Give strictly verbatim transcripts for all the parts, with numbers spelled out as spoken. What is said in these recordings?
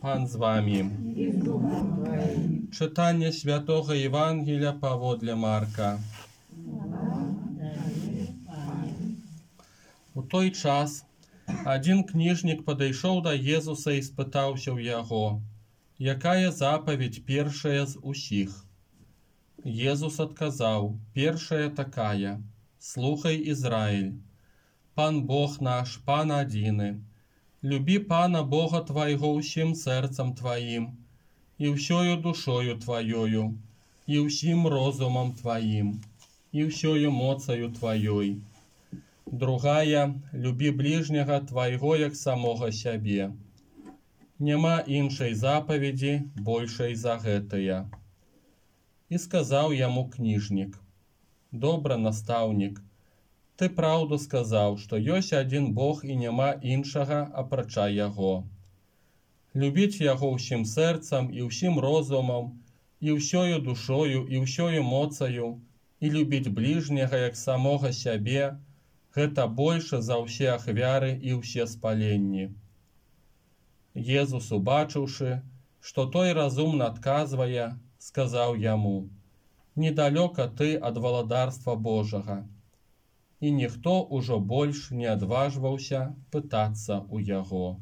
Пан з вами. Читання Святого Євангелія паводле Марка. У той час один книжник падышоў да Езуса і спытаўся ў яго: «Якая запаведь першая з усіх?» Езус адказаў: «Першая такая: слухай, Ізраіль, Пан Бог наш, Пан адзіны. Любі Пана Бога твайго ўсім сэрцам тваім, і ўсёю душою тваёю, і ўсім розумам тваім, і ўсёю моцаю тваёй. Другая: любі ближняга твайго як самога сябе. Няма іншай запаведзі большай за гэтая». І сказаў яму кніжнік: «Добра, настаўнік, ты праўду сказаў, што ёсць адзін Бог і няма іншага апрача яго. Любіць яго ўсім сэрцам і ўсім розумам, і ўсёю душою, і ўсёю моцаю, і любіць ближняга як самога сябе, гэта больше за ўсе ахвяры і ўсе спаленні». Езус, убачыўшы, што той разумна адказвае, сказаў яму: «Недалёка ты ад валадарства Божага». І ніхто ўжо больш не адважваўся пытацца ў яго.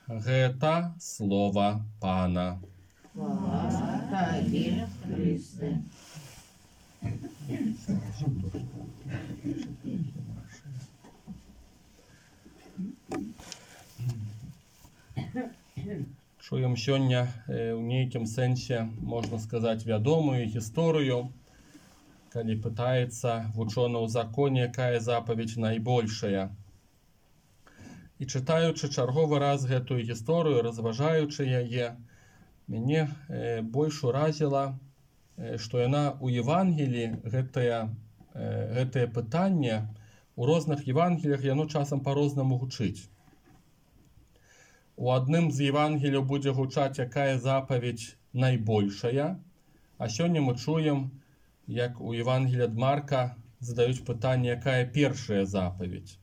Гэта слова Пана. Слава Табе, Христе. Чуем сёння ў нейкім сэнсе, можна сказаць, вядомую гісторыю, калі пытаецца вучоны ў законе, якая запаведь найбольшая. І чытаючы чарговы раз гэтую гісторыю, разважаючы яе, мяне э, больш уразіла, э, што яна ў Евангеліі, гэтае, э, гэтае пытанне, у розных Евангеліях яно часам па-рознаму гучыць. У адным з Евангеліяў будзе гучаць, якая запаведь найбольшая, а сёння мы чуем, як у Евангеліі ад Марка задаюць пытанне, якая першая запаведь.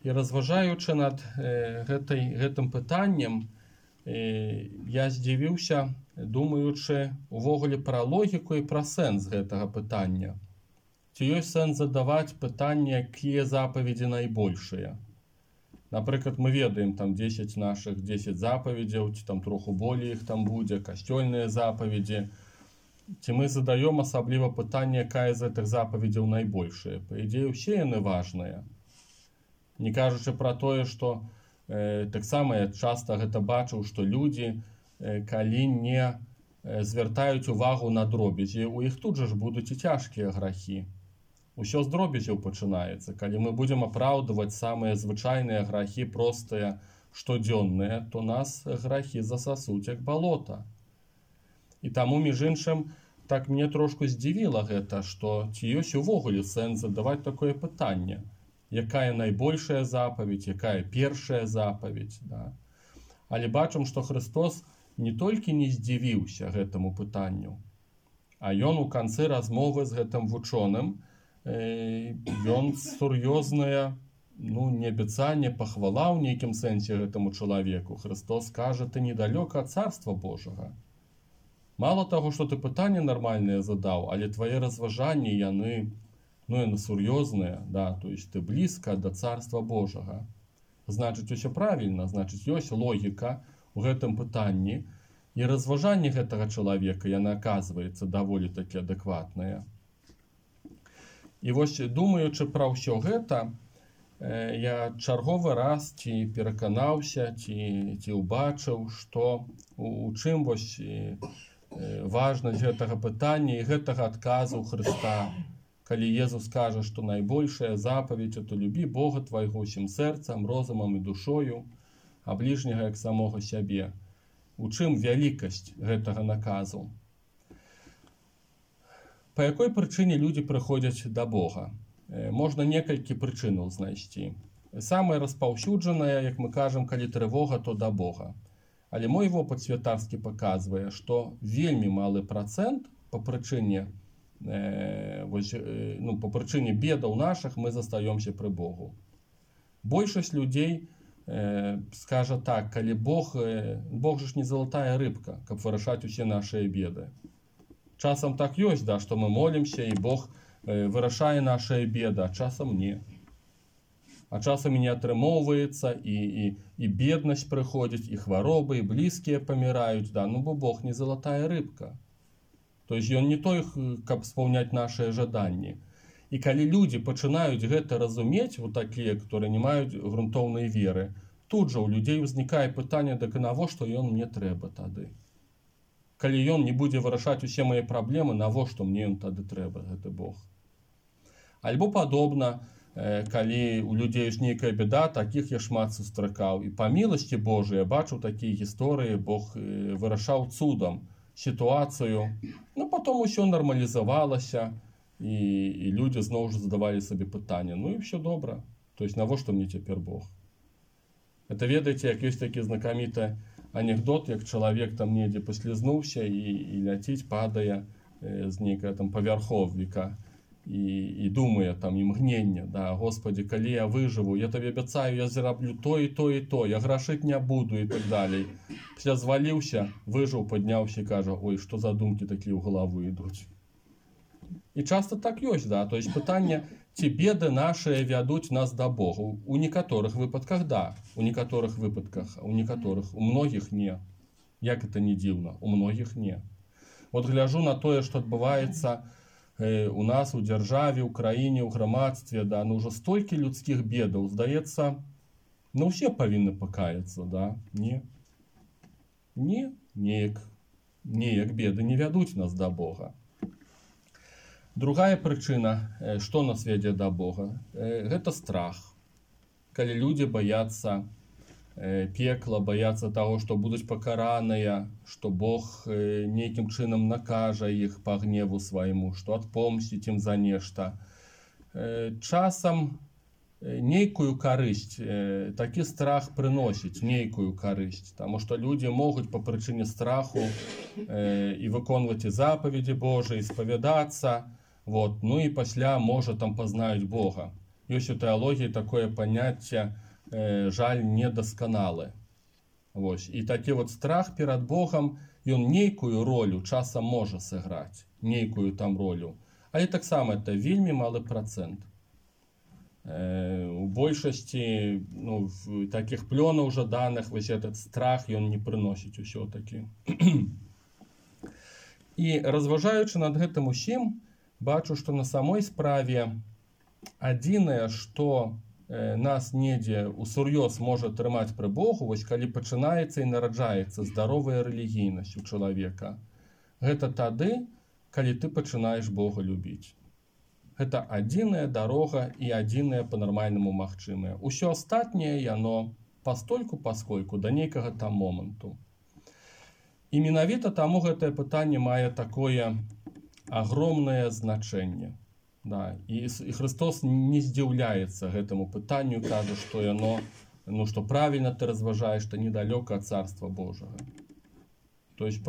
І разважаючы над э, гэтай, гэтым пытаннем, э, я здзівіўся, думаючы увогуле пра логіку і пра сэнс гэтага пытання. Ці ёсць сэнс задаваць пытанне, якія запаведзі найбольшыя? Напрыклад, мы ведаем там дзесяць нашых дзесяць запаведзяў, ці там троху болей іх там будзе, касцёльныя запаведзі. Ці мы задаем асабліва пытанне, якая з гэтых запаведзяў найбольшая? Па ідзеі, ўсе яны важныя. Не кажучы пра тое, што э, таксама я часта гэта бачыў, што людзі, э, калі не э, звяртаюць увагу на дробязі, у іх тут жа ж будуць і цяжкія грахі. Усё з дробязяў пачынаецца. Калі мы будзем апраўдваць самыя звычайныя грахі, простыя, штодзённыя, то нас грахі засасуць як балота. І таму, між іншым, так мне трошку здзівіла гэта, што ці ёсць увогуле сэнс задаваць такое пытанне. Якая найбольшая запаведь, якая першая запаведь. Да? Але бачым, што Христос не толькі не здзівіўся гэтаму пытанню, а ён у канцы размовы з гэтым вучоным, э, ён сур'ёзнае, ну, не абяцанне, пахвала ў нейкім сэнсе гэтаму чалавеку. Христос кажа: «Ты недалёка ад царства Божага». Мало таго, што ты пытанне нармальнае задаў, але твае разважанні, яны, ну, яны сур'ёзныя, да, то есть ты блізка да царства Божага. Значыць, усё правільна, значыць, ёсць логіка ў гэтым пытанні, і разважанне гэтага чалавека, яны, аказваецца, даволі такі адэкватныя. І вось, думаючы пра ўсё гэта, э, я чарговы раз ці пераканаўся, ці, ці ўбачыў, што у, у чым вось важнасць гэтага пытання і гэтага адказу Хрыста, калі Езус кажа, што найбольшая запаведь — это любі Бога твайго ўсім сэрцам, розумам і душою, а ближняга як самога сябе. У чым вялікасць гэтага наказу? Па якой прычыне людзі прыходзяць да Бога? Можна некалькі прычынаў знайсці. Самая распаўсюджаная, як мы кажам, калі трывога, то да Бога. Але мой вопыт святарскі паказвае, што вельмі малы працэнт па прычыне, э, вось, э, ну, па прычыне бедаў нашых мы застаёмся пры Богу. Большасць людзей э, скажа так, калі Бог, э, Бог же ж не залатая рыбка, каб вырашаць усе нашыя беды. Часам так ёсць, да, што мы молімся, і Бог э, вырашае нашыя беды, а часам не. А часам і не атрымоўваецца, і, і, і беднасць прыходзіць, і хваробы, і блізкія паміраюць, да, ну бо Бог не залатая рыбка. То есть ён не той, каб спаўняць нашыя жаданні. І калі людзі пачынаюць гэта разумець, вот такія, которые не маюць грунтоўнай веры, тут жа у людзей узнікае пытанне, дык навошта ён мне трэба тады? Калі ён не будзе вырашаць усе мае праблемы, навошта мне ён тады трэба, гэты Бог? Альбо падобна, калі у людзей ж нейкая беда, такіх я шмат сустракаў. І па міласці Божай я бачыў такія гісторыі, Бог вырашаў цудам сітуацыю, ну потом усё нармалізавалася, і, і людзі зноў жа задавалі сабе пытанне, ну і все добра, то есть навошта мне цяпер Бог? Это ведаеце, як ёсць такі знакаміты анекдот, як чалавек там недзе паслізнуўся і, і ляціць, падае э, з нейкага там павярховніка і, і думае там імгненне, да, Господі, калі я выжыву, я табе абяцаю, я зраблю то і то і то, я грашыць не буду і так далей. Пасля зваліўся, выжыў, падняўся і кажа, ой, што за думкі такія ў галаву ідуць. І часто так ёсць, да, то есть пытанне, ці беды нашыя вядуць нас да Бога. У некаторых выпадках да, у некаторых выпадках, у некаторых, у многіх не. Як это не дзіўна, у многіх не. Вот гляжу на тое, што адбываецца э, у нас у дзяржаве, у краіне, у грамадстве, да, ну ўжо столькі людскіх бедаў, здаецца, ну ўсе павінны пакаяцца, да, не. Не, неяк, неяк беды не вядуць нас да Бога. Другая прычына, што нас вядзе да Бога, гэта страх. Калі людзі баяцца пекла, баяцца таго, што будуць пакараныя, што Бог нейкім чынам накажа іх па гневу свайму, што адпомсціць ім за нешта. Часам нейкую карысць, такі страх прыносіць нейкую карысць, таму што людзі могуць па прычыне страху і выконваць і запаведзі Божыя, і спавядацца, вот, ну і пасля можа там пазнаюць Бога. Ёсць у тэалогіі такое паняцце э, жаль недасканалы. Вось. І такі вот страх перад Богам, ён нейкую ролю часам можа сыграць, нейкую там ролю. Але таксама это вельмі малы працэнт. Э, у большасці ну, такіх плёнаў жаданых вось этот страх ён не прыносіць усё-такі. І разважаючы над гэтым усім, бачу, што на самой справе адзінае, што э, нас недзе усур'ёз можа трымаць пры Богу, вось калі пачынаецца і нараджаецца здаровая рэлігійнасць у чалавека. Гэта тады, калі ты пачынаеш Бога любіць. Гэта адзіная дарога і адзінае па-нармальнаму магчымае. Усё астатняе яно пастольку паскольку да нейкага там моманту. І менавіта таму гэтае пытанне мае такое огромное значэнне. Да. І, і Христос не здзіўляецца гэтаму пытанню, кажа, што яно, ну, што правільна ты разважаеш, што недалёка ад Царства Божага. То есть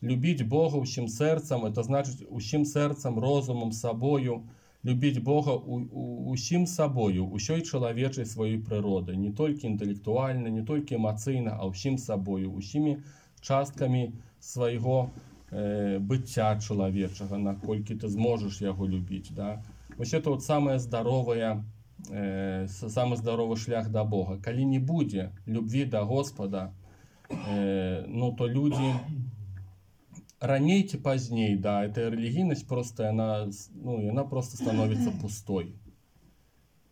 любіць Бога ўсім сэрцам, это значыць усім сэрцам, розумам, сабою, любіць Бога у, у, усім сабою, усёй чалавечай сваёй прыроды, не толькі інтэлектуальна, не толькі эмацыйна, а ўсім сабою, усімі часткамі свайго э, быцця чалавечага, наколькі ты зможаш яго любіць. Да? Вось это вот самае здаровае, э, самы здаровы шлях да Бога. Калі не будзе любві да Господа, э, ну то людзі раней ці пазней, да, эта рэлігійнасць просто яна, ну, яна просто становіцца пустой.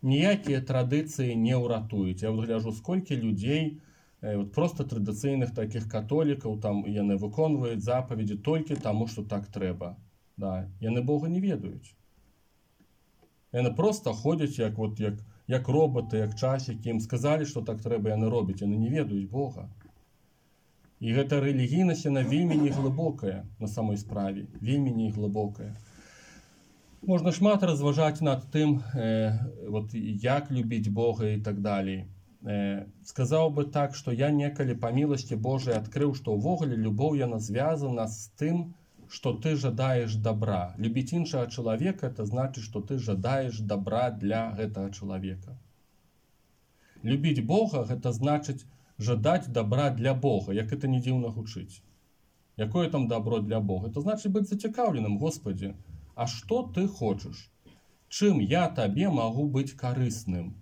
Ніякія традыцыі не ўратуюць. Я вот гляжу, сколькі людзей, вот просто традыцыйных таких католікаў, там яны выконваюць запаведзі толькі таму, што так трэба. Да. Яны Бога не ведаюць. Яны просто ходзяць як, вот, як, як роботы, як часікі, ім сказалі, што так трэба, яны робяць, яны не ведаюць Бога. І гэта рэлігійнасць, яна вельмі неглыбокая на самой справе, вельмі неглыбокая. Можна шмат разважаць над тым, э, вот, як любіць Бога і так далей. Сказаў бы так, што я некалі па міласці Божай адкрыў, што ўвогуле любоў яна звязана з тым, што ты жадаеш добра. Любіць іншага чалавека, это значыць, што ты жадаеш добра для гэтага чалавека. Любіць Бога – гэта значыць жадаць добра для Бога, як это не дзіўна гучыць. Якое там добро для Бога? Это значыць быць зацікаўленым, Господи, а што ты хочаш? Чым я табе магу быць карысным?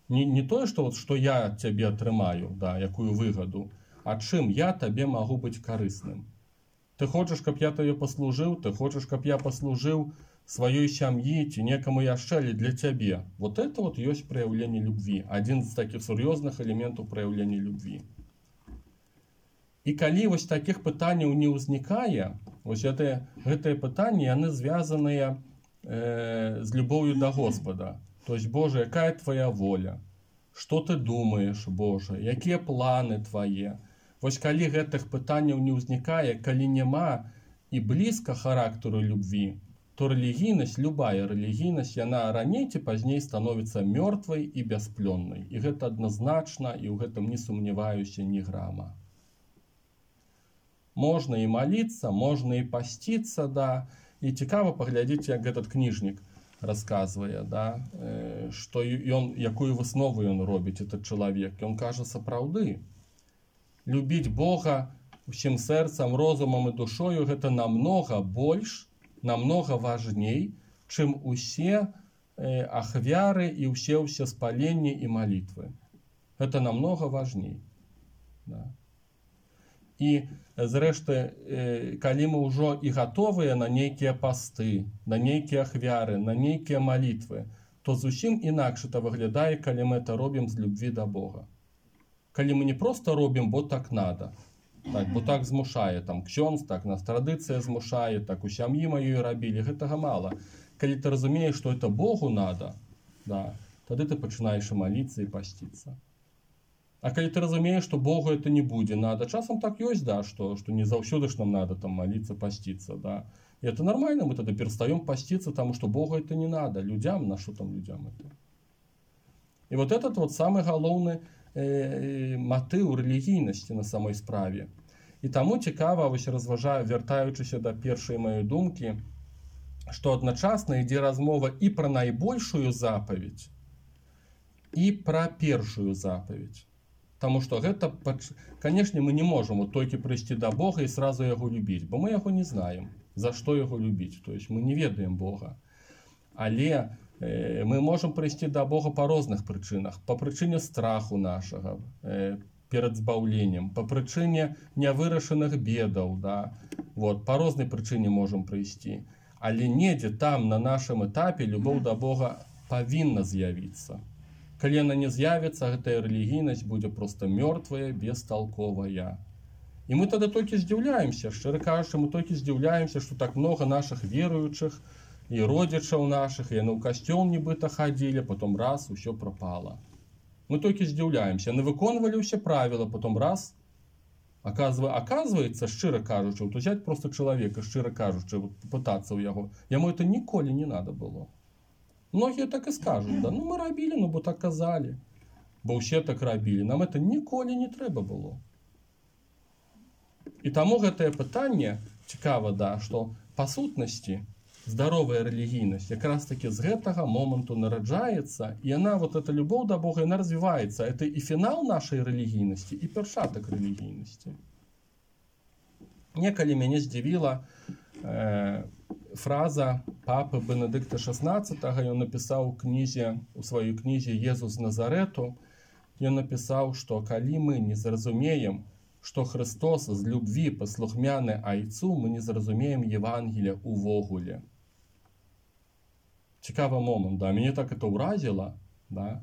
Не, не тое, што, вот, што я цябе атрымаю, да, якую выгаду, а чым я табе магу быць карысным? Ты хочаш, каб я табе паслужыў, ты хочаш, каб я паслужыў сваёй сям'і ці некаму яшчэ для цябе. Вот это вот ёсць праяўленне любві. Адзін з такіх сур'ёзных элементаў праяўлення любві. І калі вось такіх пытанняў не ўзнікае, вось гэтыя, гэтыя пытанні, яны звязаныя э, з любоўю да Господа. То есть, Боже, якая твоя воля? Што ты думаеш, Боже? Якія планы твае? Вось калі гэтых пытанняў не ўзнікае, калі няма і блізка характару любві, то рэлігійнасць, любая рэлігійнасць, яна раней ці пазней становіцца мёртвай і бясплённай. І гэта адназначна, і ў гэтым не сумняваюся ні грама. Можна і маліцца, можна і пасціцца, да. І цікава паглядзець, як этот кніжнік расказвае, да, што ён, якую выснову ён робіць, этот чалавек. Ён кажа, сапраўды, любіць Бога усім сэрцам, розумам і душою гэта намнога больш, намнога важней, чым усе э, ахвяры і ўсе ўсе спаленні і малітвы. Гэта намнога важней. Да. І зрэшты, э, калі мы ўжо і гатовыя на нейкія пасты, на нейкія ахвяры, на нейкія малітвы, то зусім інакш это выглядае, калі мы это робім з любві да Бога. Калі мы не просто робім, бо так надо, так, бо так змушае, там, ксёндз, так, нас традыцыя змушае, так, у сям'і маёй рабілі, гэтага мала. Калі ты разумееш, што это Богу надо, да, тады ты пачынаеш і маліцца і пасціцца. А калі ты разумееш, што Богу это не будзе надо, часам так ёсць, да, што, што не заўсёды ж нам надо там маліцца, пасціцца, да. И это нормально, мы тогда перестаем поститься, потому что Богу это не надо, людям, на что там людям это. И вот этот вот самый галоўны э, матыў рэлігійнасці на самой справе. І таму цікава, вось разважаю, вяртаючыся да першай маёй думкі, што адначасна ідзе размова і пра найбольшую запаведь, і пра першую запаведь. Потому что гэта, конечно, мы не можем вот только прийти до Бога и сразу его любить, бо мы его не знаем, за что его любить. То есть мы не ведаем Бога. Але э, мы можем прийти до Бога по разных причинах. По причине страху нашего э, перед збаўленнем, по причине нявырашаных бедаў, да? Вот, по разной причине можем прийти. Але недзе там на нашем этапе любовь до Бога повинна з'явіцца. Калі яна не з'явіцца, гэтая рэлігійнасць будзе проста мёртвая, бесталковая. І мы тады толькі здзіўляемся, шчыра кажучы, мы толькі здзіўляемся, што так много наших веруючых і родзічаў наших, і яны ў касцёл нібыта хадзілі, потом раз, усё пропало. Мы толькі здзіўляемся, яны выконвалі ўсе правілы, потом раз, оказывается, шчыра кажучы, вот взять просто чалавека, шчыра кажучы, вот, пытацца ў яго, яму это ніколі не надо было. Многие так и скажут, да, ну мы рабілі, ну бо так казалі, бо ўсе так рабілі, нам это ніколі не трэба было. І таму гэтае пытанне цікава, да, што па сутнасці здаровая рэлігійнасць якраз таки з гэтага моманту нараджаецца, і яна, вот эта любоў да Бога, яна развіваецца. Это і фінал нашай рэлігійнасці, і пачатак рэлігійнасці. Некалі мяне здзівіла э, фраза папы Бенедыкта шаснаццатага, ён напісаў у кнізе, у сваёй кнізе «Езус з Назарету», ён напісаў, што калі мы не зразумеем, што Христос з любві паслухмяны айцу, мы не зразумеем Евангелія увогуле. Цікавы момент, да, мяне так это ўразіла, да,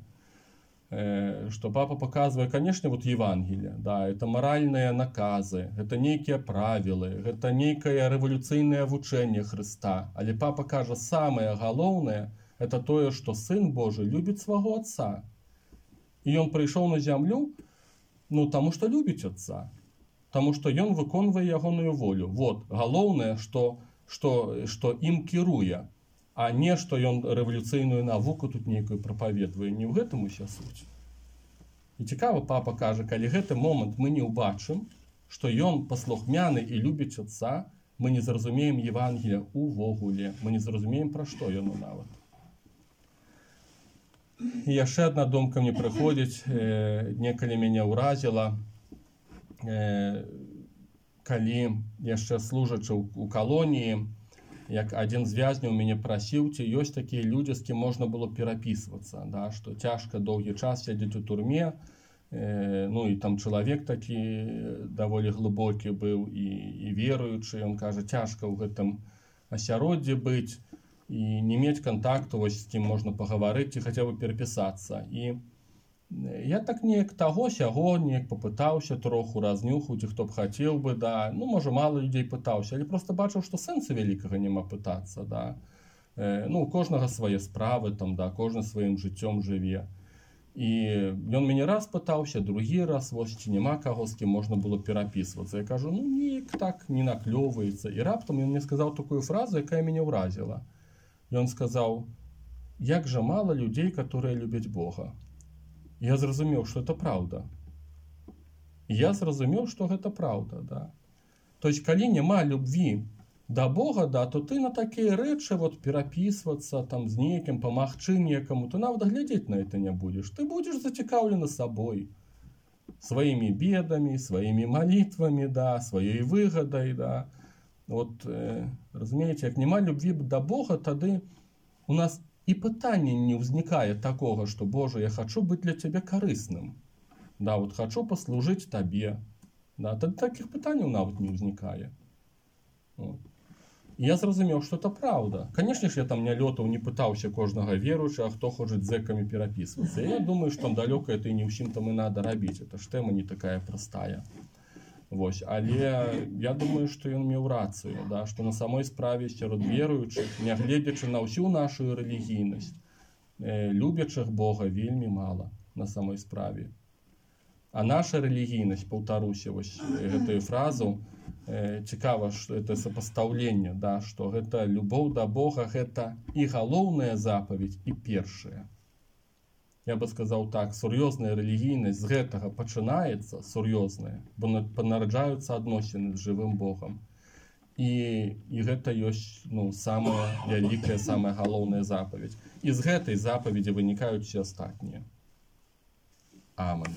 что папа показывает, конечно, вот Евангелие, да, это моральные наказы, это некие правила, это некое революционное вучение Христа. Але папа кажа, самое галоўнае, это то, что Сын Божий любит своего Отца. И он пришел на землю, ну, тому что любит Отца, тому что он выконвае ягоную волю. Вот, галоўнае, что, что, что им кіруе, а не, што ён рэвалюцыйную навуку тут нейкую прапаведвае. Не ў гэтым уся суть. І цікава, папа кажа, калі гэты момант мы не ўбачым, што ён паслухмяны і любіць Отца, мы не зразумеем Евангелія увогуле. Мы не зразумеем, пра што яно нават. І яшчэ адна думка мне прыходзіць, э, некалі мяне ўразіла, э, калі яшчэ служачы ў, у калоніі, як адзін з вязняў мяне прасіў, ці ёсць такія людзі, з кім можна было перапісвацца, да, што цяжка доўгі час сядзець у турме, э, ну і там чалавек такі даволі глыбокі быў і, і веруючы, ён кажа, цяжка ў гэтым асяроддзі быць і не мець кантакту, вось з кім можна пагаварыць ці хаця бы перапісацца. І я так неяк таго сяго неяк попытаўся троху разнюхаць, хто б хацеў бы, да, ну можа мала людзей пытаўся, але просто бачыў, што сэнсу вялікага няма пытацца, да. Э, ну у кожнага свае справы, там, да, кожны сваім жыццём жыве. І ён мяне раз пытаўся, другі раз, вось ці няма каго, з кім можна было перапісвацца. Я кажу, ну неяк так не наклёваецца. І раптам ён мне сказаў такую фразу, якая мяне ўразіла. Ён сказаў, як жа мала людзей, которые любяць Бога. Я зразумеў, што это праўда. Я зразумеў, што гэта праўда, да. То есть, калі няма любві да Бога, да, то ты на такія рэчы вот перапісвацца там з нейкім, памагчы некаму, ты нават глядзець на это не будзеш. Ты будзеш зацікаўлены сабой, сваімі бедамі, сваімі малітвамі, да, сваёй выгадай, да. Вот, э, разумееце, як няма любві да Бога, тады у нас і пытання не ўзнікае такога, што Боже, я хачу быць для цябе карысным. Да, вот хачу паслужыць табе. Да, тады такіх пытанняў нават не ўзнікае. Вот. Я зразумеў, што это праўда. Канешне ж, я там не лётаў, не пытаўся кожнага веруючага, хто хоча з зэкамі перапісвацца. Я думаю, што там далёка это і не ўсім там і надо рабіць. Это ж тэма не такая простая. Вось, але я думаю, што ён меў рацыю, да, што на самой справе сярод веруючых, нягледзячы на ўсю нашу рэлігійнасць, э, любячых Бога вельмі мала на самой справе. А наша рэлігійнасць, паўтаруся вось гэтую фразу, э, цікава, што это сапастаўленне, да, што гэта любоў да Бога, гэта і галоўная запаведь, і першая. Я бы сказаў так, сур'ёзная рэлігійнасць з гэтага пачынаецца, сур'ёзная, бо нараджаюцца адносіны з жывым Богам. І, і гэта ёсць, ну, самая вялікая, самая галоўная запаведь. І з гэтай запаведзі вынікаюць усе астатнія. Амэн.